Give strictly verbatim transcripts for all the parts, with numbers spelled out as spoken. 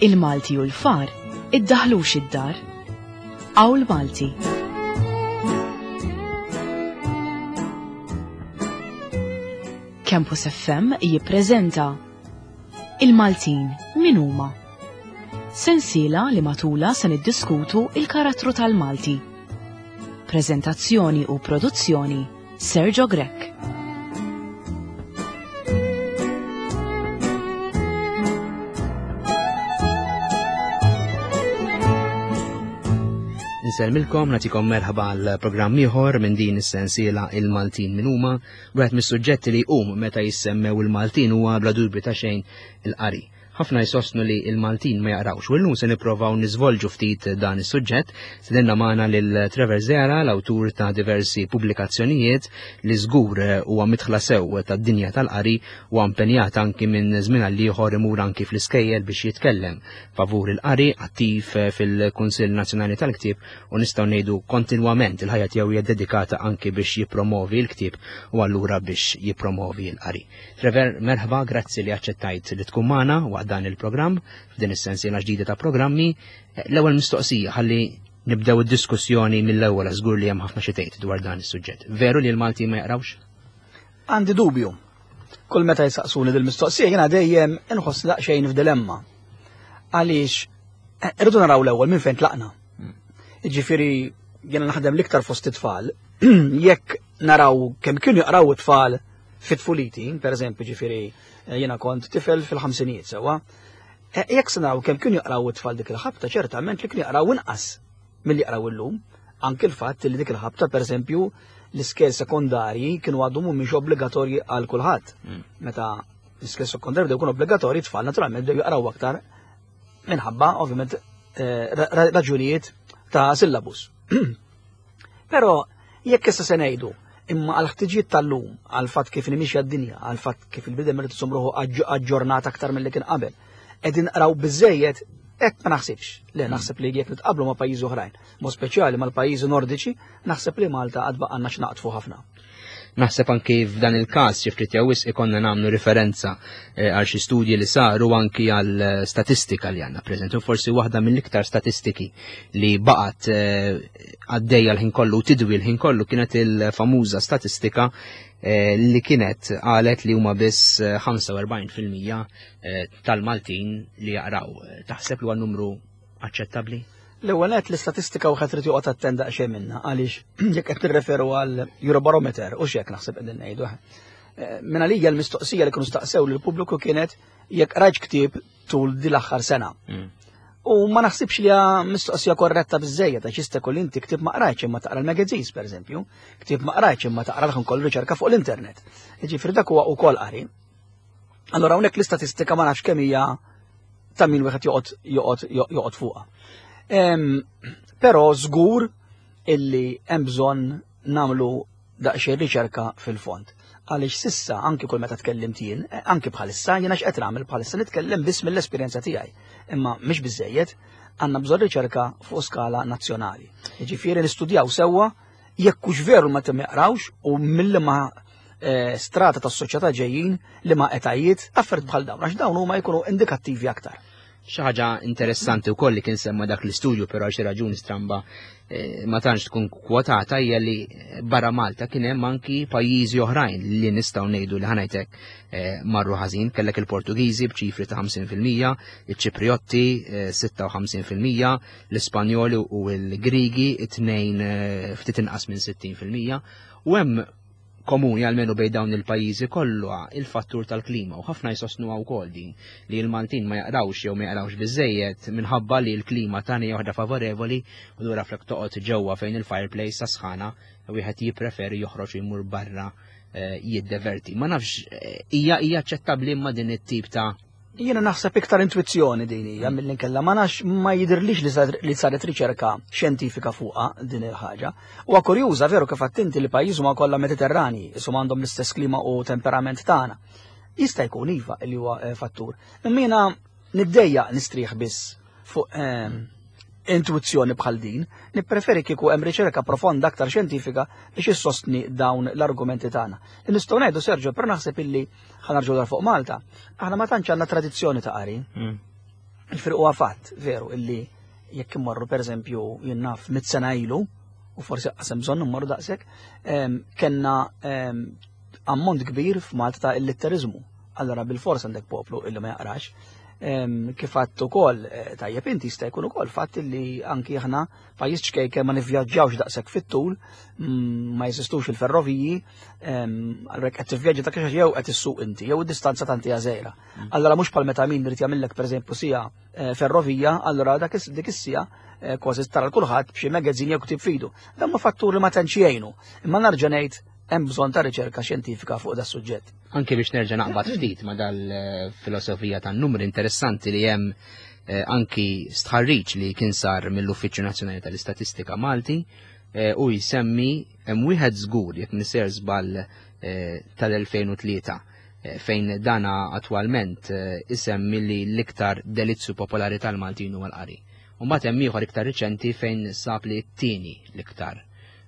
Il-Malti u l-far iddaħlux id-dar. Awl Malti. Campus F M jippreżenta Il-Maltin min huma? Sensiela li matula se niddiskutu il-karattru tal-Malti. Prezentazzjoni u produzzjoni Sergio Grech. Insellmilkom, nagħtikom merħba għal programm ieħor minn din is-sensiela Il-Maltin min huma. Wieħed mis-suġġetti li jqum meta jissemmew il-Maltin huwa bla dubju ta' xejn il-qari. Ħafna jsostnu li il-Maltin ma jaqrawx, u llum se nipprovaw niżvolġu ftit dan is-suġġett. Sedinna magħna lil Trevor Zera, l-awtur ta' diversi pubblikazzjonijiet li żgur huwa midħla sew tad-dinja tal-qari u impenjat anki minn żmien għal ieħor imur anki fl-iskejjel biex jitkellem favur il-qari, attiv fil-Kunsill Nazzjonali tal-Ktieb, u nistgħu ngħidu kontinwament il-ħajja tiegħu hija dedikata anki biex jippromovi l-ktieb u allura biex jippromovi l-qari. Trevor, merħba, grazzi li aċċettajt li tkun magħna waqt dan il-programm, f'din is-sensiela ġdida ta' programmi. L-ewwel mistoqsija, ħalli nibdew id-diskussjoni mill-ewwel, żgur li hemm ħafna xi tgħid dwar dan is-suġġett. Veru li l-Malti ma jaqrawx? Għandi dubju. Kull meta jsaqsuni dil-mistoqsija jiena dejjem inħoss daqsxejn f'dilemma. Għaliex irridu naraw l-ewwel minn fejn tlaqna. Jiġifieri jiena naħdem l-iktar fost it-tfal, jekk naraw kemm kienu jaqraw it-tfal fit-tfuliti, per eżempju, ġifieri jiena kont tifel fil-ħamsinijiet sewwa, e, jekk se naraw kemm kienu jaqraw it-tfal dik il-ħabta, ċertament li kienu jaqraw inqas milli jaqraw illum. Anke l-fatt li dik il-ħabta, per eżempju, l-iskejjel sekondarji kienu għadhom mhumiex obbligatorji għal kulħadd. Mm. Meta l-iskejjel sekondarji bdew jkunu obbligatorji, it-tfal naturalment bdew jaqraw aktar minħabba, ovvjament, eh, ra-, ra-, raġunijiet ta' syllabus. Però jekk issa se ngħidu imma għal ħtiġijiet tal-lum, għal fatt kif nimixja d-dinja, għal fatt kif il-bidem irid isum ruħu aġġ-, aġġornat aktar milli kien qabel, qegħdin nqraw biżejjed, hekk ma naħsibx. Le, naħseb li jekk nitqablu ma' pajjiżi oħrajn, mod speċjali mal-pajjiżi nordiċi, naħseb li Malta għad baqgħalna x'naqtfu ħafna. Naħseb anki f'dan il-każ xi ftit jew wisq ikonna nagħmlu referenza, eh, għal xi studji li saru anki għal statistika li għandna preżenti, u forsi waħda mill-iktar statistiki li baqgħet, eh, għaddejja l-ħin kollu u tidwi l-ħin kollu kienet il-famuża statistika, eh, li kienet qalet li huma biss, eh, ħamsa u erbgħin fil-mija, eh, tal-Maltin li jaqraw. Taħseb li huwa numru aċċettabbli? L-ewwel nett l-istatistika wieħed irid joqgħod attent daqsxejn minnha, għaliex jekk qed tirreferu għal Eurobarometer u x'hekk naħseb qegħdin ngħidu. Eh, minn għalija l-mistoqsija li kienu staqsew lill-pubbliku kienet jekk qrajt ktieb tul din l-aħħar sena. Mm. U ma naħsibx li hija mistoqsija korretta biżżejjed, għax jista' jkun inti ktieb ma qrajtx imma taqra l-magazines pereżempju, ktieb ma qrajtx imma taqra l-ħin kollu riċerka fuq l-internet. Jiġifieri dak huwa wkoll qari. Allura hawnhekk l-istatistika ma nafx kemm hija ta' min wieħed joqgħod, joqgħod, joqgħod fuqha. Em, però żgur illi hemm bżonn nagħmlu daqsxejn riċerka fil-fond. Għaliex sissa anki kull meta tkellimt jien, eh, anki bħalissa, jiena x'qed nagħmel bħalissa nitkellem biss mill-esperjenza tiegħi. Imma mhix biżejjed, għandna bżonn riċerka fuq skala nazzjonali. Jiġifieri nistudjaw sewwa jekk hux veru ma jaqrawx u milli ma, eh, strata tas-soċjetà ġejjin li ma etajiet affarijiet bħal dawn, għax dawn huma jkunu indikattivi aktar. Xi ħaġa interessanti wkoll li kien semma dak l-istudju, però għal xi raġuni stramba, eh, ma tantx tkun kwotata, hija li barra Malta kien hemm anki pajjiżi oħrajn li nistgħu ngħidu li ħanajtek, eh, marru ħażin. Kellek il-Portugiżi b'ċifri ta' ħamsin fil-mija, iċ-Ċipriotti, eh, sitta u ħamsin fil-mija, l-Ispanjoli u l-Grigi it-tnejn, eh, ftit inqas minn sittin fil-mija. U hemm komuni għalmenu bejn dawn il-pajjiżi kollu il-fattur tal-klima, u ħafna jsostnuha wkoll din li l-Maltin ma jaqrawx jew ma jaqrawx biżejjed minħabba li l-klima tagħna hija waħda favorevoli, u lura flok toqgħod ġewwa fejn il-fireplace sa sħana wieħed jippreferi joħroġ u jmur barra, eh, jiddeverti. Ma nafx, eh, hija, hija aċċettabbli imma din it-tip ta' Jiena naħseb iktar intuizzjoni din hija milli nkella, ma nafx, ma jidhirlix li sar-, li saret riċerka xjentifika fuqha din il-ħaġa. Huwa kurjuża veru kif attenti li pajjiż huma kollha Mediterrani, isom għandhom l-istess klima u temperament tagħna. Jista' jkun iva li huwa, eh, fattur. Imma jiena niddejjaq nistrieħ biss fuq, ehm, intuizzjoni bħal din, nippreferi kieku hemm riċerka profonda aktar xjentifika biex issostni dawn l-argumenti tagħna. Nistgħu ngħidu, Sergio, però naħseb illi ħa nerġgħu dar fuq Malta, aħna ma tantx għandna tradizzjoni ta' qari. Mm. Ġifieri huwa fatt, veru, illi jekk immorru pereżempju jien naf mitt sena ilu, u forsi qasem bżonn immorru daqshekk, kellna ammont kbir f'Malta ta' illitteriżmu. Allora bil-fors għandek poplu illi ma jaqrax. Kif għadt ukoll eh, tajjeb inti, jista' jkun ukoll fatt li anki aħna pajjiż ċkejken, ma nivvjaġġawx daqshekk fit-tul, mm, ma jeżistux il-ferroviji, allura qed tivvjaġġa dak jew qed issuq inti, jew id-distanza tanti hija żgħira. Mm. Allora mhux bħal meta min irid jagħmellek pereżempju siegħa eh, ferrovija, allura dak dik is-siegħa eh, kważi tara kulħadd b'xi magazine jew ktieb f'idu. Dan ma fattur li ma tantx jgħinu. Imma nerġa' ngħid, hemm bżonn ta' riċerka xjentifika fuq da suġġett. Anke biex nerġa' naqbad ftit ma' dal-filosofija tan-numri, interessanti li hemm eh, anki stħarriġ li kien sar mill-Uffiċċju Nazzjonali tal-Istatistika Malti eh, u jsemmi hemm wieħed żgur, jekk niser żball, eh, tal-elfejn u tlieta, fejn dana attwalment isemmi li l-iktar delizzju popolari tal-Maltin huwa l-qari. U mbagħad hemm ieħor iktar riċenti fejn sab li t-tieni l-iktar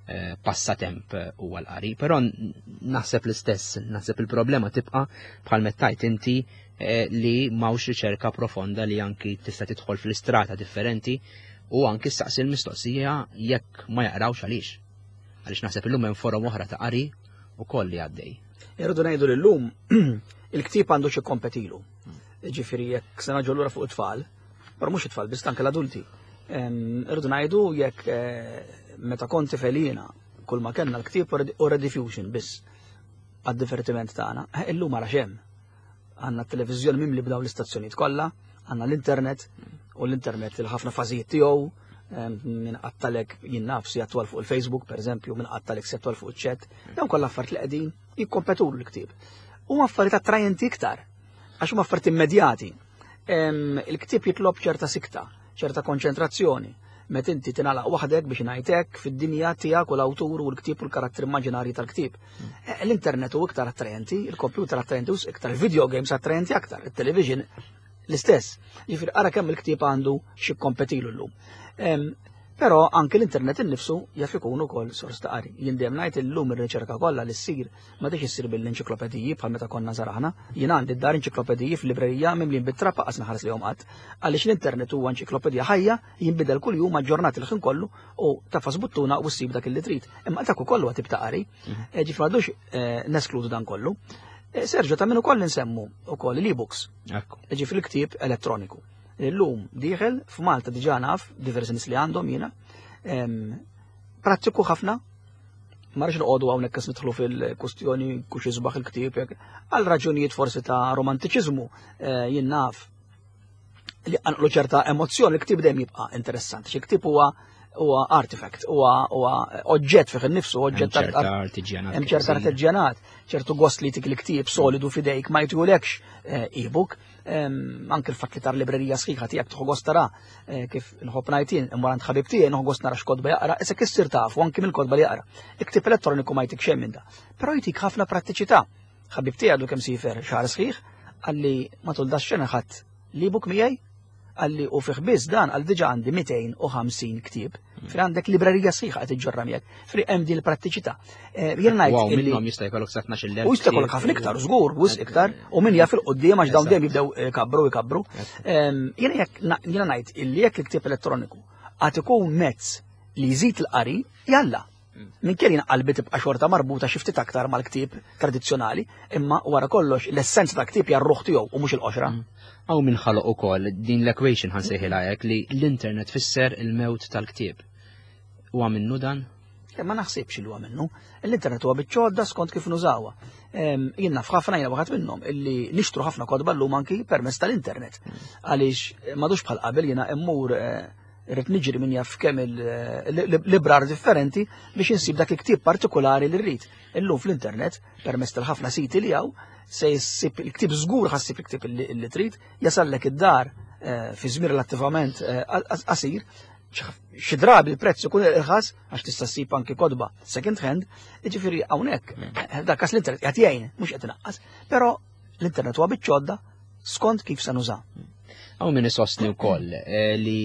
Eh, passatemp huwa l-qari, però naħseb l-istess, naħseb il-problema tibqa' bħal mettajt inti eh, li m'hawnx riċerka profonda li anki tista' tidħol fl-istrata differenti u anki staqsi l-mistoqsija jekk ma jaqrawx għaliex. Għaliex naħseb illum hemm forom oħra ta' qari u koll li għaddej. Irridu ngħidu li llum il-ktieb għandu xi kompetilu. Ġifieri jekk se naġu lura fuq it-tfal, però mhux it-tfal biss, anke l-adulti. Irridu ngħidu jekk eh, meta konti felina kull ma kellna l-ktieb u Rediffusion biss għad-divertiment tagħna, eh, illum ara xem. Għandna t-televiżjoni mimli b'daw l-istazzjonijiet kollha, għandna l-internet u l-internet il-ħafna fażijiet tiegħu, minn qattalek jien naf si attwal fuq il-Facebook, per eżempju, minn qattalek si attwal fuq il-chat, dawn kollha affarijiet li qegħdin jikkompetu l-ktieb. Huma affarijiet attrajenti iktar, għax huma affarijiet immedjati. Il-ktieb jitlob ċerta sikta, ċerta konċentrazzjoni. Met inti tingħalaq waħdek, biex ngħidlek, fid-dinja tiegħek u l-awtur u l-ktieb u l-karattri immaġinarji tal-ktieb. Eh, L-internet hu iktar attrajenti, il-computer attrajenti u iktar, il-video games attrajenti aktar, il-television l-istess. Ġifieri ara kemm il-ktieb għandu xi kompetilu llum. Però anke l-internet innifsu jaf ikun ukoll sors ta' qari. Jien dejjem ngħid, illum ir-riċerka kollha li ssir ma tix issir bil-enċiklopediji bħal meta konna żaraħna. Jien għandi d-dar enċiklopediji fil-librerija mimlin bit-trab, qas naħares lejhom qatt. Għaliex l-internet huwa enċiklopedija ħajja, jinbidel kuljum, aġġornat il-ħin kollu, u tagħfas buttuna u ssib dak li trid. Imma dak ukoll huwa tip ta' qari. Mhm. Eh, ġifieri m'għadux eh, neskludu dan kollu. Eh, Sergio, ta' min ukoll nsemmu ukoll l-e-books. Ġifieri l-ktieb elettroniku. Illum dieħel f'Malta, diġà naf diversi nies li għandhom jiena. Prattiku ħafna, ma rridx noqogħdu hawnhekk kas nidħlu fil-kustjoni kux isbaħ il-ktieb, għal raġunijiet forsi ta' romantiċiżmu, eh, jien naf li għanqlu ċerta emozzjoni, il-ktieb dejjem jibqa' interessanti. Xi ktieb huwa huwa artifact, huwa huwa oġġett fih innifsu, oġġett. Artiġjanat. Hemm ċerta artiġjanat, ċertu gost li tik il-ktieb solidu f'idejk ma jtulekx eh, e-book, anke l-fatt li tar librerija sħiħa tiegħek tieħu gost tara, eh, kif nħobb ngħid jien, immur għand ħabib tiegħi, nħobb gost nara x'kotba jaqra, issa issir tafu anke mill-kotba li jaqra. Il-ktieb elettroniku ma jtik xejn minn da. Però jtik ħafna prattiċità. Ħabib tiegħi għadu kemm siefer xahar sħiħ, qalli matul dax-xena ħadd l-ebook miegħi, qalli u fih biss dan għal diġa għandi mitejn u ħamsin ktieb. Fri għandek librerija sħiħa qed iġġorra miegħek. Fri hemm din il-prattiċità. Eh, jien ngħid Wow, minnhom jista' jkollok sa tnax-il elf. U jista' jkollok ħafna iktar, żgur, wisq iktar, u min jaf il-quddiem, għax dawn dejjem jibdew eh, kabru jkabru. Jiena jekk jiena ngħid illi jekk il-ktieb elettroniku għad ikun mezz li jżid il-qari, jalla. Minn kien qalbi tibqa' xorta marbuta xi ftit aktar mal-ktieb tradizzjonali, imma wara kollox l-essenza ta' ktieb hija r-ruħ tiegħu u mhux il-qoxra. Hawn min ħaloq ukoll din l-equation, ħa nsejħilha hekk, li l-internet fisser il-mewt tal-ktieb. Huwa minnu dan? Ma naħsibx li huwa minnu. L-internet huwa biċ-ċodda skont kif nużawha. Jien naf ħafna, jiena waħed minnhom, illi nixtru ħafna kotba llum anki permezz tal-internet. Għaliex m'għadux bħal qabel, jiena immur eh, irrid niġri min jaf kemm il-librar differenti biex insib dak il-ktieb partikolari li rrid. Illum fl-internet, permezz tal-ħafna siti li hawn, se jsib il-ktieb żgur, ħa ssib il-ktieb li trid, jasallek id-dar eh, fi żmien relattivament eh, qasir, xi drabi il-prezz ikun irħas għax tista' ssib anki kotba second hand, jiġifieri hawnhekk eh, dak kas l-internet qed jgħin, mhux qed inaqqas, però l-internet huwa biċ-ċodda skont kif se nuża. Hawn min isostni wkoll li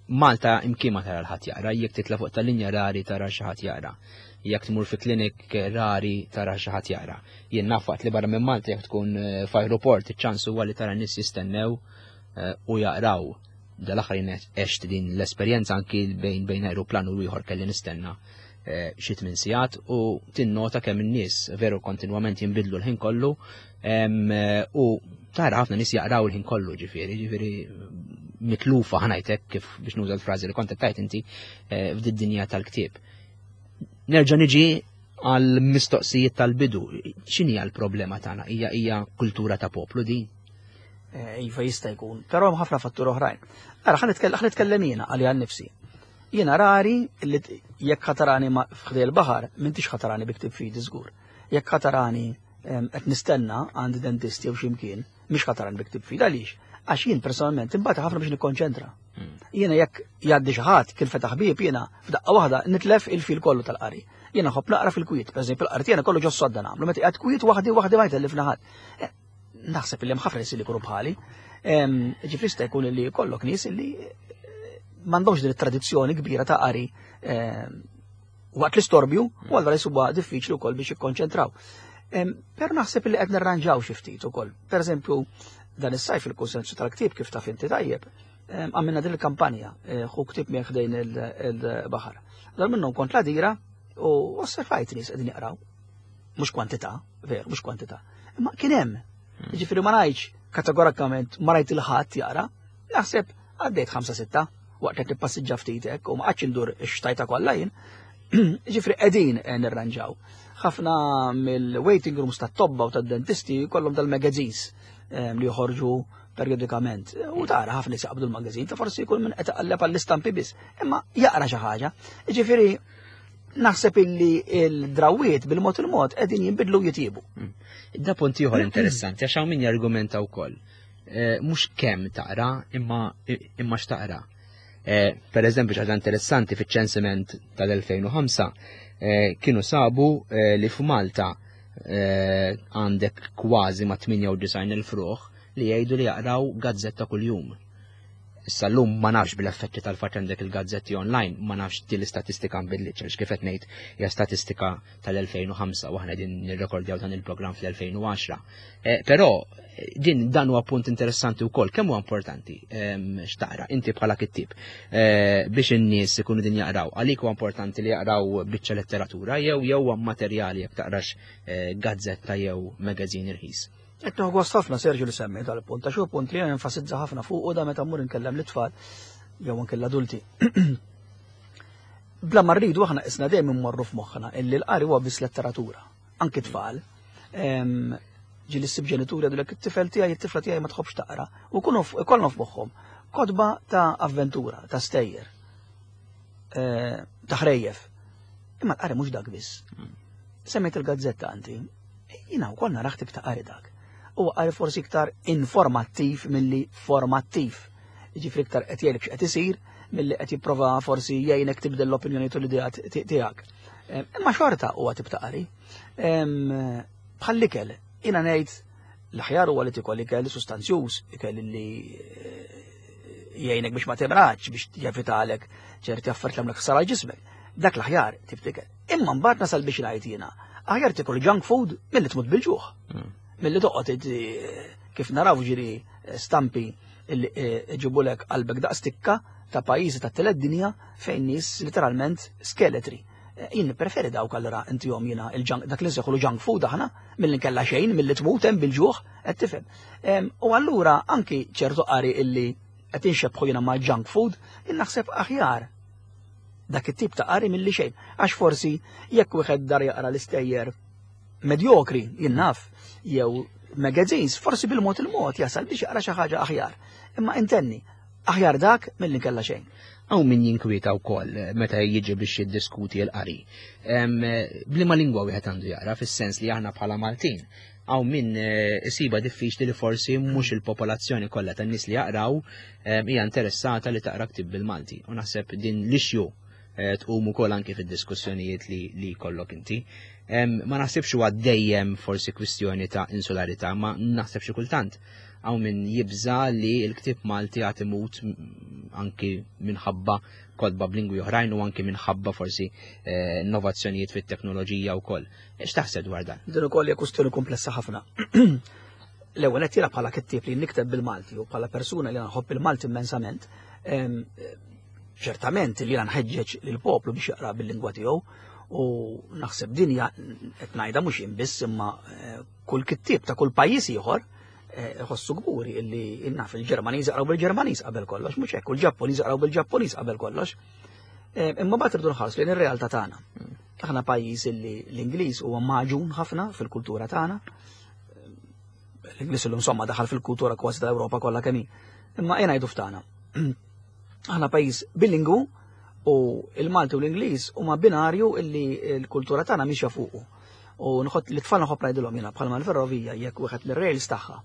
Malta imkien ma tara l-ħadd jaqra, jekk titla' fuq tal-linja rari tara xi ħadd jaqra. Jekk tmur fi klinik rari tara xi ħadd jaqra. Jien naf waqt li barra minn Malta, jekk tkun eh, f'aeroport, iċ-ċans huwa li tara nies jistennew u jaqraw. Dal-aħħar jien għext din l-esperjenza anki bejn bejn aeroplan u ieħor kelli nistenna xi tmien sigħat u tinnota kemm in-nies veru kontinwament jinbidlu l-ħin kollu u tara ħafna nies jaqraw il-ħin kollu, ġifieri, ġifieri mitlufa, ħa ngħidlek kif biex nuża l-frażi li kont tajt inti, f'did-dinja tal-ktieb. Nerġa' niġi għal mistoqsijiet tal-bidu. X'inhi l-problema tagħna? Hija hija kultura ta' poplu din? Iva, jista' jkun, però hemm ħafna fatturi oħrajn. Ara, ħa nitkellem jiena għalija nnifsi. Jiena rari li jekk ħa tarani ħdejn il-baħar, m'intix ħa tarani bi ktieb f'idi żgur. Jekk ħa tarani qed nistenna għand dentisti jew x'imkien, mhix ħa tarani bi ktieb f'idi. Għaliex? Għax jien personalment imbagħad ħafna biex nikkonċentra. Jiena jekk jgħaddi xi ħadd kien fetaħ bieb, jiena f'daqqa waħda nitlef il-fil kollu tal-qari. Jiena nħobb naqra fil-kwiet, pereżempju l-qari jiena kollu ġos-sodda nagħmlu, meta qiegħed kwiet waħdi waħdi ma jtellifna ħadd. Naħseb li hemm ħafna nies li jkunu bħali. Ġifieri jista' jkun li kollok nies li m'għandhomx din it-tradizzjoni kbira ta' qari waqt l-istorbju, u allura jsibuha diffiċli wkoll biex jikkonċentraw. Però naħseb li qed nirranġaw xi ftit ukoll. Pereżempju, dan is-sajf il-konsensu tal-ktieb, kif taf inti tajjeb, għamilna din il-kampanja "Ħu ktieb miegħek ħdejn il-baħar". Dan minnhom kont l-Għadira u osservajt nies qegħdin jaqraw. Mhux kwantità, veru, mhux kwantità. Imma kien hemm. Ġifieri ma ngħidx kategorikament ma rajt il-ħadd jaqra, naħseb għaddejt ħamsa sitta waqt qed nippassiġġa ftit hekk u ma qgħadx indur ix-xtajta kollha jien. Ġifieri qegħdin nirranġaw. Ħafna mill-waiting rooms tat-tobba u tad-dentisti kollhom dal-magazines li joħorġu periodikament. U tara ħafna nies jaqbdu l-magazine, ta' forsi jkun minn qed iqalleb għall-istampi biss, imma jaqra xi ħaġa. Ġifieri naħseb illi il-drawiet bil-mod il-mod qegħdin jinbidlu, jitjibu. Da punt ieħor interessanti għax hawn min jargumenta wkoll. Mhux kemm taqra imma imma x'taqra. Per eżempju, ħaġa interessanti, fiċ-ċensiment tal-elfejn u ħamsa kienu sabu li f'Malta għandek kważi ma' tmienja u disgħin elf ruħ li jgħidu li jaqraw gazzetta kuljum. Issa llum ma nafx bil-effetti tal-fatt għandek il-gazzetti online, ma nafx din l-istatistika nbidlitx, għax kif qed ngħid hija statistika tal-elfejn u ħamsa u aħna din nirrekordjaw dan il-programm fl-elfejn u għaxra. Però din dan huwa punt interessanti wkoll, kemm huwa importanti x'taqra inti bħala kittieb biex in-nies ikunu din jaqraw. Għalik huwa importanti li jaqraw biċċa letteratura jew jew materjali jekk taqrax gazzetta jew magazine irħis? Qed nieħu gost ħafna, Sergio, li semmi dal-punt, għax hu punt li enfasizza ħafna fuq u da meta mmur inkellem l-itfal jew anke l-adulti. Bla ma rridu aħna isna dejjem immorru f'moħħna illi l-qari huwa biss letteratura, anke tfal. Ġieli ssib ġenituri jgħidulek, "It-tifel tiegħi, it-tifla tiegħi ma tħobbx taqra." U kunu ikollhom f'moħħhom kotba ta' avventura, ta' stejjer, ta' ħrejjef. Imma l-qari mhux dak biss. Semmejt il-gazzetta anti, jiena wkoll naraħ tip ta' qari dak. U qari forsi iktar informattiv milli formattiv. Ġifieri iktar qed jgħidlek x'qed isir milli qed jipprova forsi jgħinek tibdel l-opinjoni u l-idea tiegħek. Imma xorta huwa tip ta' qari. Bħall-ikel, jiena ngħid l-aħjar huwa li tikol ikel sustanzjuż, ikel li jgħinek biex ma timradx, biex jevitalek ċerti affarijiet li għamlek ħsara ġismek. Dak l-aħjar tip t'ikel. Imma mbagħad nasal biex ngħid jiena, aħjar tikol junk food milli tmut bil-ġuħ. Milli toqgħod, kif naraw ġiri stampi illi ġibulek qalbek daqs tikka ta' pajjiżi ta' tielet dinja fejn nies literalment skeletri. Jien preferi dawk allura intihom jiena il-junk, dak li nsejħulu junk food aħna, milli nkella xejn, milli tmut hemm bil-ġuħ, qed tifhem. U allura anki ċertu qari illi qed inxebħu jiena ma' junk food, jien naħseb aħjar dak it-tip ta' qari milli xejn. Għax forsi jekk wieħed dar jaqra l-istejjer medjokri, jien naf, jew magazines, forsi bil-mod il-mod jasal biex jaqra xi ħaġa aħjar. Imma intenni, aħjar dak milli nkella xejn. Hawn min jinkwieta wkoll meta jiġi biex jiddiskuti l-qari. B'liema lingwa wieħed għandu jaqra, fis-sens li aħna bħala Maltin hawn min isiba diffiċli li forsi mhux il-popolazzjoni kollha tan-nies li jaqraw hija interessata li taqra ktib bil-Malti. U naħseb din l-issue tqum ukoll anke fid-diskussjonijiet li li kollok inti. Ma naħsibx huwa dejjem forsi kwistjoni ta' insularità, ma naħseb xi kultant hawn min jibża li l-ktib Malti għad imut anki minħabba kotba b'lingwi oħrajn u anki minħabba forsi innovazzjonijiet fit-teknoloġija wkoll. X'taħseb dwar dan? Din ukoll hija kwistjoni komplessa ħafna. L-ewwel qed jiena bħala kittieb li nikteb bil-Malti u bħala persuna li nħobb il-Malti immensament, ċertament li jiena nħeġġeġ lill-poplu biex jaqra bil-lingwa tiegħu u naħseb din hija qed ngħidha mhux jien biss imma eh, kull kittieb ta' kull pajjiż ieħor eh, iħossu kburi illi naf il-Ġermaniż jaqraw bil-Ġermaniż qabel kollox, mhux hekk, u l-Ġappuniż jaqraw bil-Ġappuniż qabel kollox. Eh, Imma mbagħad irridu nħarsu lejn ir-realtà tagħna. Aħna pajjiż illi l-Ingliż huwa magħġun ħafna fil-kultura tagħna. L-Ingliż illum insomma daħal fil-kultura kważi tal-Ewropa kollha kemm hi. Imma ejja ngħidu ftana. Aħna pajjiż bilingwu u il-Malti u l-Ingliż huma binarju illi l-kultura tagħna mixja fuqu. U nħott li tfal nħobb ngħidilhom jiena bħalma l-ferrovija jekk wieħed mir-rails tagħha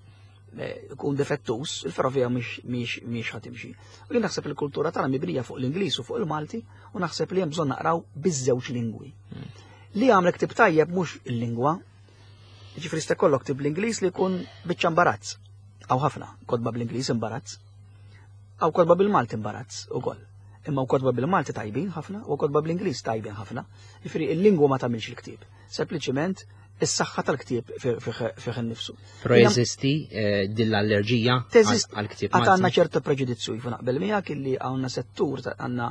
eh, ikun defettus, il-ferrovija mhix mhix mhix ħa timxi. U jien naħseb il-kultura tagħna mibnija fuq l-Ingliż u fuq il-Malti u naħseb li hemm bżonn naqraw biż-żewġ lingwi. Li għamlek ktib tajjeb mhux il-lingwa, ġifieri sta kollok ktib bl-Ingliż li jkun biċċa imbarazz. Hawn ħafna kotba bl-Ingliż imbarazz. Hawn kotba bil-Malti imbarazz ukoll. Imma kotba bil-Malti tajbin ħafna u kotba bl-Ingliż tajbin ħafna. Ġifieri il-lingwa ma tagħmilx il-ktieb. Sempliċiment is-saħħa tal-ktieb fih innifsu. Però jeżisti eh, din l-allerġija Teżist għal-ktieb għad għandna Malti. ċertu preġudizzju jifu naqbel miegħek illi għandna settur ta- għandna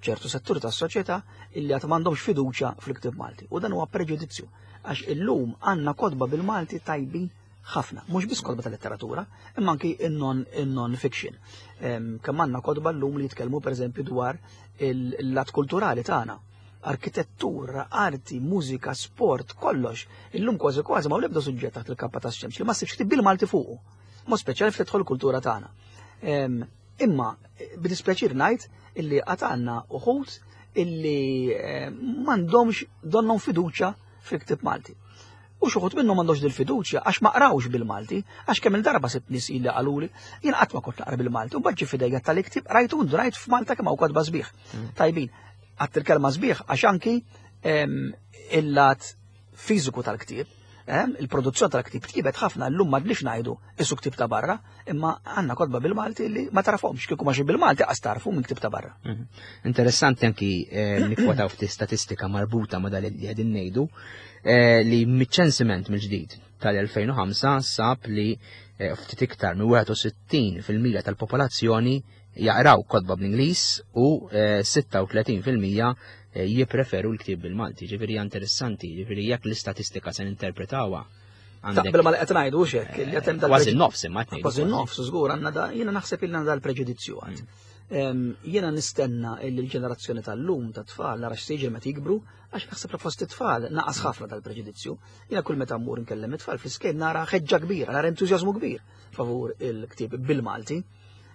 ċertu settur tas-soċjetà illi għad m'għandhomx fiduċja fil-ktieb Malti. U dan huwa preġudizzju għax illum għandna kotba bil-Malti tajbin ħafna, mhux biss kotba tal-letteratura, imma anki in-non in-non fiction. Em, Kemm għandna kotba llum li jitkellmu pereżempju dwar il-lat kulturali tagħna. Arkitettura, arti, mużika, sport, kollox. Illum kważi kważi ma l-ebda suġġett taħt il-kappa tax-xemx li ma ssibx ktieb bil-Malti fuqu. Mod speċjali ftit tidħol kultura tagħna. Em, Imma b'dispjaċir ngħid illi għad għandna uħud illi eh, m'għandhomx donnhom fiduċja fil-ktieb Malti. U xi wħud minnhom m'għandhomx dil-fiduċja għax ma qrawx bil-Malti, għax kemm il-darba sibt nies illi qaluli, jien qatt ma kont naqra bil-Malti, u mbagħad ġie f'idejja tal-ktieb rajtu rajt f'Malta kemm hawn kotba sbieħ. Tajbin, għadt il-kelma sbieħ għax anki em, il-lat fiżiku tal-ktieb, em, il-produzzjoni tal-ktieb tjibet ħafna llum ma dlix ngħidu isu ktieb ta' barra, imma għandna kotba bil-Malti li ma tarafhomx kieku ma xi bil-Malti qas tarfu minn ktieb ta' barra. Mhm. Interessanti anki eh, nikkwataw ftit statistika marbuta ma dal li qegħdin ngħidu eh, li miċ-ċensiment mill-ġdid tal-elfejn u ħamsa sab li eh, ftit iktar minn wieħed u sittin fil-mija tal-popolazzjoni jaqraw kotba bl-Ingliż u eh, sitta u tletin fil-mija eh, jippreferu l-ktieb bil-Malti. Ġifieri hija interessanti, ġifieri jekk l-istatistika se ninterpretawha għandek Taqbel ma li qed ngħidu hux hekk, li qed hemm dal- kważi nofs imma qed ngħidu Kważi nofs, żgur, għandna da, jiena naħseb ilna dal-preġudizzju għad. Em, Jiena nistenna illi l-ġenerazzjoni tal-lum ta' tfal nara x'siġi meta jikbru, għax naħseb li fost it-tfal naqas ħafna dal-preġudizzju. Jiena kull meta mmur nkellem it-tfal fl-iskejjel nara ħeġġa kbira, nara entużjażmu kbir favur il-ktieb bil-Malti.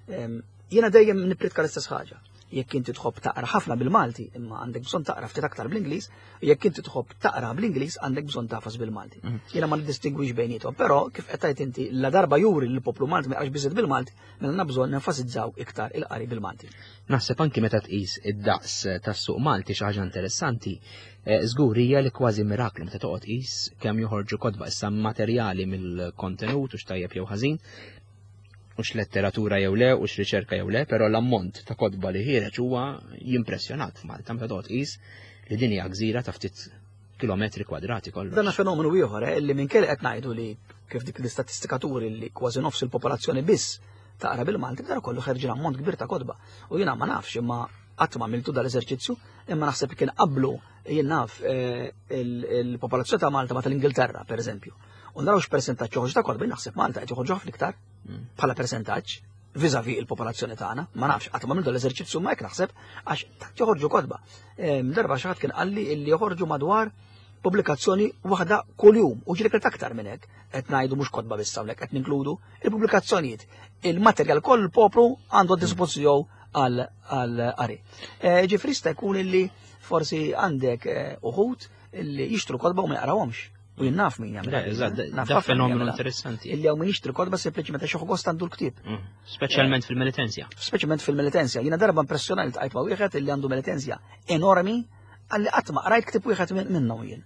Em, Jiena dejjem nippritka l-istess ħaġa. Jekk inti tħobb taqra ħafna bil-Malti, imma għandek bżonn taqra ftit aktar bl-Ingliż, jekk inti tħobb taqra bl-Ingliż għandek bżonn tafas bil-Malti. Jiena ma niddistingwix bejniethom, però kif qed tgħid inti la darba juri li l-poplu Malti ma jaqrax biżżejjed bil-Malti, mela għandna bżonn nenfasizzaw iktar il-qari bil-Malti. Naħseb anki meta tqis id-daqs tas-suq Malti xi ħaġa interessanti, eh, żgur hija li kważi miraklu meta toqgħod tqis kemm joħorġu kotba issa materjali mill-kontenut u x'tajjeb jew ħażin, u x'letteratura jew le, u x'riċerka jew le, però l-ammont ta' kotba li ħiereġ huwa jimpressjonat f'Malta meta toqgħod tqis li din hija gżira ta' ftit kilometri kwadrati kollox. Dan fenomenu ieħor eh, li minn kelli qed ngħidu li kif dik l-istatistika turi li kważi nofs il-popolazzjoni biss taqra bil-Malti, dan kollu ħerġin ammont kbir ta' kotba. U jiena ma nafx imma qatt ma għamiltu dal-eżerċizzju, imma naħseb kien qablu jien naf eh, il- il-popolazzjoni ta' Malta ma tal-Ingilterra, per eżempju. U naraw x'persentaġġ joħroġ ta' kotba, jien naħseb Malta qed joħorġu ħafna iktar bħala persentaġġ vis-à-vis il-popolazzjoni tagħna, ma nafx qatt ma għamiltu l-eżerċizzju ma hekk naħseb għax tant joħorġu kotba. Em, Darba xi ħadd kien qalli illi joħorġu madwar pubblikazzjoni waħda kuljum u ġieli aktar minn hekk qed ngħidu mhux kotba biss hawnhekk qed ninkludu il-pubblikazzjonijiet. Il-materjal kollu l-poplu għandu għad dispożizzjoni għal għal qari. Eh, Ġifieri jista' jkun illi forsi għandek eh, uħud illi jixtru kotba u ma jaqrawhomx. U jien naf min jagħmel. Le, eżatt, Naf da ħafna min fenomenu jagħmilha. interessanti. Illi hawn min jixtri kotba sempliċement għax jieħu gost għandu l-ktieb. Mm. Speċjalment fil-Melitensja. Speċjalment fil-Melitensja. Jiena darba impressjonali ltqajt ma' wieħed illi għandu Melitensja enormi għalli qatt ma qrajt ktieb wieħed minn- minnhom jien.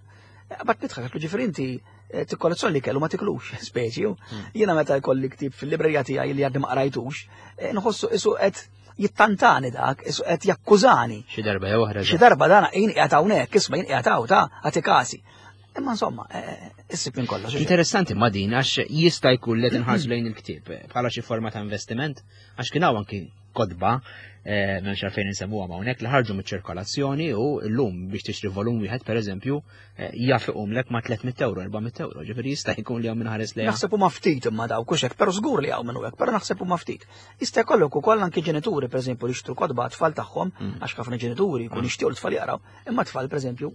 Bat nidħak, għatlu ġifieri inti eh, tikkollezzjoni li kellu ma tiklux, speċi. u Jiena meta jkolli ktieb fil-librerija tiegħi li għadni ma qrajtux, eh, nħossu isu qed jittantani dak, isu qed jakkużani. Xi darba jew oħra. Xi darba dana jien qiegħed hawnhekk, isma' jien qiegħed hawn ta' għati kasi. Imma insomma, eh, issib minn kollox. Interessanti ma din għax jista' jkun li tinħarsu lejn il-ktieb bħala xi forma ta' investiment, għax kien hawn anki kotba, eh, m'hemmx għalfejn insemmuha hawnhekk, li ħarġu miċ-ċirkolazzjoni u llum biex tixtri volum wieħed, pereżempju, eh, jaf iqumlek ma' tliet mitt euro, erba' mitt euro, ġifieri jista' jkun li hawn min ħares lejha. Naħseb huma ftit imma dawk hux hekk, però żgur li hawn minnu hekk, però naħseb huma ftit. Jista' jkollok ukoll anke ġenituri, pereżempju, li jixtru kotba tfal tagħhom, Mm. għax ħafna ġenituri jkun jixtiequ l-tfal jaqraw, imma tfal, pereżempju,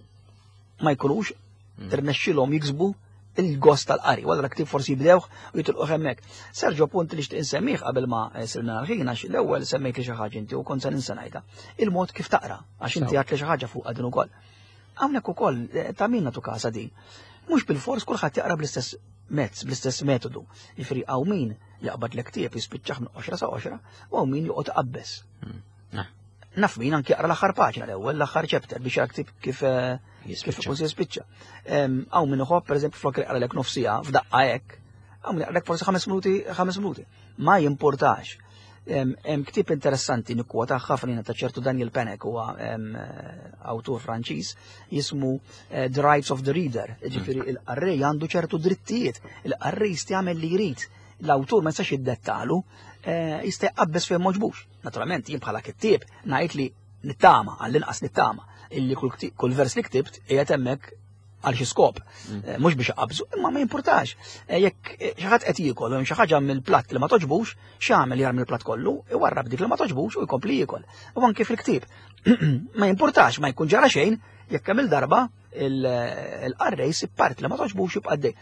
ma jkunux Mm. tirnexxilhom jiksbu il-gost tal-qari, wara ktieb forsi jibdewh u jitilqu hemmhekk. Sergio, punt li xtieq insemmih qabel ma sirna l-ħin, għax l-ewwel semmejt li xi ħaġa inti u kont se ninsa ngħidha. Il-mod kif taqra, għax inti Sew. għedt li xi ħaġa fuq din ukoll. Hawnhekk ukoll eh, ta' min nagħtu kasa din. Mhux bil-fors kulħadd jaqra bl-istess mezz, bl-istess metodu. Jiġifieri hawn min jaqbad l-ktieb jispiċċaħ minn qoxra sa qoxra u hawn min joqgħod iqabbes. Ah. Naf min anki jaqra l-aħħar paġna l-ewwel, l-aħħar chapter, biex jara ktieb kif eh, kif Jispiċċa. ikun se jispiċċa. Hawn min iħobb, pereżempju, flok jaqra lek nofs siegħa f'daqqa hekk, hawn min jaqralek forsi ħames minuti, ħames minuti. Ma jimportax. Hemm hemm ktieb interessanti nikkwota ħafna jiena ta' ċertu Daniel Pennac, huwa em, eh, awtur Franċiż, jismu eh, The Rights of the Reader. Ġifieri il-qarrej għandu ċertu drittijiet, il-qarrej jista' jagħmel li jrid. L-awtur ma jistax jiddettalu, eh, jista' jqabbes fejn m'għoġbux. Naturalment jien bħala kittieb ngħid li nittama, għall-inqas nittama, illi kull kti- kull vers li ktibt qiegħed hemmhekk għal xi skop. Eh, Mhux biex iqabżu, imma ma jimpurtax. Eh, Jekk eh, xi ħadd qed jiekol u hemm xi ħaġa mill-platt li ma toġbux, x'jagħmel? Jarmi l-platt kollu, iwarrab dik li ma toġbux u jkompli jiekol. U anke fil-ktieb. Ma jimpurtax, ma jkun ġara xejn jekk kemm il-darba il-qarrej sib part li ma toġbux, jibqa' għaddej.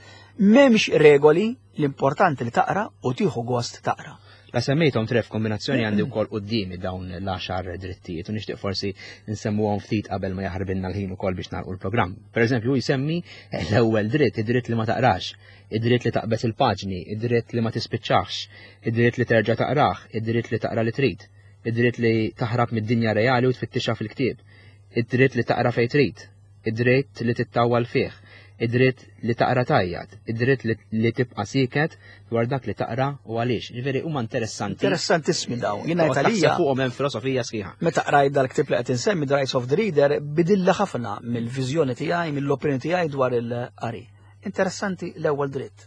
M'hemmx regoli, l-importanti li taqra u tieħu gost taqra. La semmejthom tref kombinazzjoni, għandi wkoll qudiemi dawn l-għaxar drittijiet u nixtieq forsi nsemmuhom ftit qabel ma jaħarbinna l-ħin ukoll biex nagħlqu l-programm. Per eżempju, jsemmi l-ewwel dritt, id-dritt li ma taqrax, id-dritt li taqbeż il-paġni, id-dritt li ma tispiċċax, id-dritt li terġa' taqrah, id-dritt li taqra li trid, id-dritt li taħrab mid-dinja reali u tfittixha fil-ktieb, id-dritt li taqra fejn trid, id-dritt li tittawwal fih, id-dritt li taqra tgħajjat, id-dritt li, li tibqa' sieket dwar dak li taqra u għaliex. Ġifieri huma interessanti. Interessantissimi dawn. Jiena Toqgħod taħseb għalija fuqhom, hemm filosofija sħiħa. meta qrajt dal-ktieb li qed insemmi, The Rights of the Reader, bidilli ħafna mill-viżjoni tiegħi, mill-opinjoni tiegħi dwar il-qari. Interessanti l-ewwel dritt.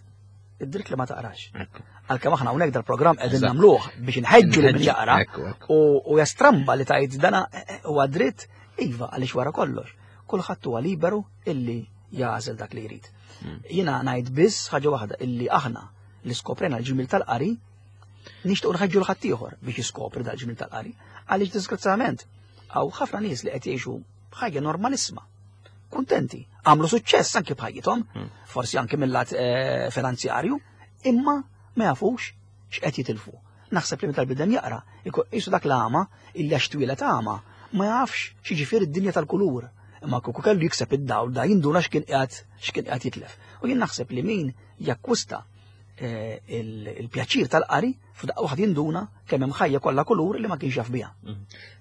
Id-dritt li ma taqrax. Ekku. Għalkemm aħna hawnhekk dal-programm qegħdin Eżatt. nagħmluh biex inħeġġu li min Inħeġġu, jaqra ekku, ekku. u u jastramba li tajt dana eh, eh, huwa dritt, iva, għaliex wara kollox kulħadd huwa liberu illi jagħżel dak li jrid. Mm. Jiena ngħid biss ħaġa waħda, illi aħna li skoprejna l-ġmil tal-qari nixtiequ nħeġġu 'l ħaddieħor biex jiskopri dal-ġmil tal-qari, għaliex disgrazzjatament hawn ħafna nies li qed jgħixu b'ħajja normalissima. Kuntenti, għamlu suċċess anke b'ħajjithom, Mm. forsi anke mill-lat eh, finanzjarju, imma ma jafux x'qed jitilfu. Naħseb li meta l-bniedem jaqra, ikun qisu dak l-għama illi għax twieled għama ma jafx x'jiġifieri d-dinja tal-kulur. Imma kieku kellu jikseb id-dawl da jinduna x'kien qiegħed x'kien qiegħed jitlef. U jien naħseb li min jakkwista eh, il- il-pjaċir tal-qari, f'daqqa waħda jinduna kemm hemm ħajja kollha kulur li ma kienx jaf biha.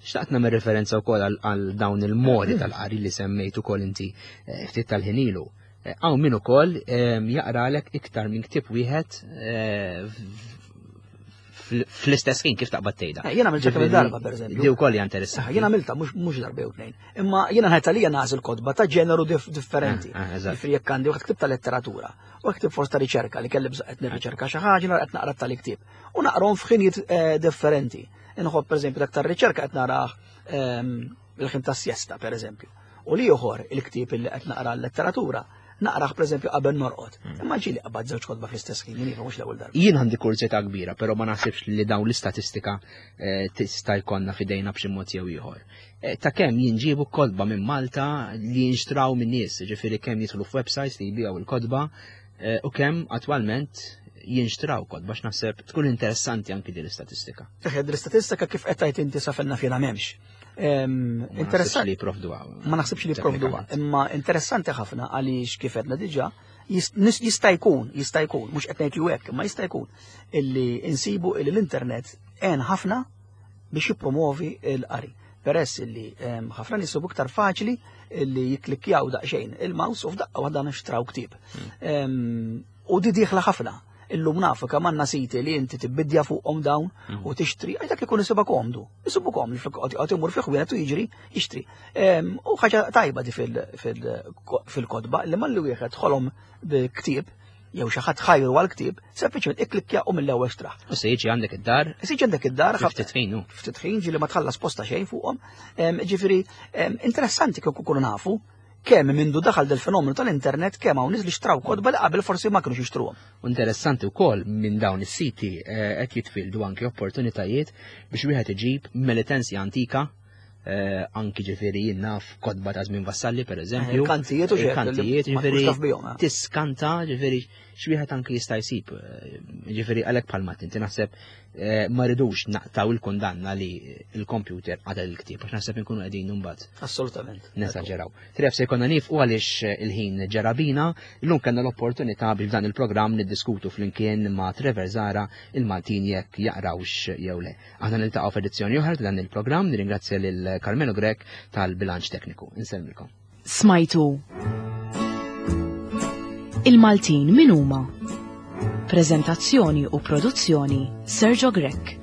Xtaqt nagħmel referenza wkoll għal- għal dawn il-modi tal-qari li semmejt ukoll inti eh, ftit tal-ħin ilu. Eh, Hawn min ukoll eh, jaqralek iktar minn ktieb wieħed eh, fl- fl-istess ħin, kif taqbad tgħidha. Eh, Jiena għamiltha kemm il-darba, pereżempju. Di wkoll hija interessanti. Jiena għamiltha mhux mhux darba jew tnejn. Imma jiena ngħid għalija nagħżel kotba ta' ġeneru dif differenti. Ah, ah, eżatt. Jiġifieri jekk għandi wieħed ktieb ta' letteratura u ktieb forsi ta' riċerka li kelli bżonn qed nirriċerka xi ħaġa, nara qed naqra tal-ktieb. U naqrahom f'ħinijiet eh, differenti. Inħobb, pereżempju, dak tar-riċerka qed narah ehm, il-ħin ta' siesta, pereżempju. U li ieħor, il-ktieb illi qed naqra l-letteratura, naqrah, pereżempju, qabel norqod. Imma ġieli qabad żewġ kotba fl-istess ħin, jien mhux l-ewwel darba. Jien għandi kurżità kbira, però ma naħsibx li dawn l-istatistika eh, tista' jkollna f'idejna b'xi mod jew ieħor. Eh, Ta' kemm jinġiebu kotba minn Malta li jinxtraw minn nies, ġifieri kemm jidħlu f'websites li jbiegħu il-kotba eh, u kemm attwalment jinxtraw kotba, x'naħseb tkun interessanti anki din l-istatistika. Eħed, l-istatistika kif qed tgħid inti sa fejn naf jiena m'hemmx. Ehm, Ma naħsibx Interessanti. li jipprovduha. Ma naħsibx li jipprovduha, Teknikament. imma interessanti ħafna għaliex kif għedna diġà jist- nis- jista' jkun, jista' jkun, mhux qed ngħid li hekk, imma jista' jkun illi insibu illi l-internet għen ħafna biex jippromovi l-qari. Peress illi em, ħafna nies isibu iktar faċli illi jiklikkjaw daqsxejn il-mouse u f'daqqa waħda nxtraw ktieb. Em, U di dieħla ħafna. Illum nafu kemm għandna siti li inti tibbidja fuqhom dawn Mm. u tixtri, għax dak ikun isibha komdu. Isibu komdu flok qed imur fi ħwienet u jiġri jixtri. Em, U ħaġa tajba di fil- fil- fil-kotba li malli wieħed ħolom bi ktieb jew xi ħadd ħajru għal ktieb, sempliċement ikklikkja u mill-ewwel xtrah. U se jiġi għandek id-dar, Isiġ għandek id-dar, fi ftit ħin, hu. Ftit ħin ġieli ma tħallas posta xejn fuqhom. Em, Ġifieri, em, interessanti kieku kunu nafu kemm mindu daħal del-fenomenu tal-internet kemm hawn nies li xtraw kotba li qabel forsi ma kienux jixtruhom. Interessanti wkoll minn dawn is-siti eh, qed jitfildu anki opportunitajiet biex wieħed iġib Melitensia antika, eh, anki ġifieri jien naf kotba ta' żmien Vassalli, per eżempju. Il-kantijiet u xejn, Il-kantijiet, li ma ġifieri tkunx taf bihom, eh. tiskanta ġifieri x'wieħed anki jista' jsib. eh, Ġifieri għalhekk bħalma inti naħseb eh, ma ridux naqtaw il-kundanna li il-computer għadha il-ktieb, għax naħseb inkunu qegħdin imbagħad Assolutament. nesaġeraw. Tref se jkollna nieqfu għaliex il-ħin ġera bina, illum kellna l-opportunità biex f'dan il-programm niddiskutu flimkien ma' Trevor Zara il-Maltin jekk jaqrawx jew le. Aħna niltaqgħu f'edizzjoni oħra ta' dan il-programm, nirringrazzja lil Carmelo Grech tal-bilanċ tekniku. Insellmilkom. Smajtu Il-Maltin min huma? Prezentazzjoni u produzzjoni Sergio Grech.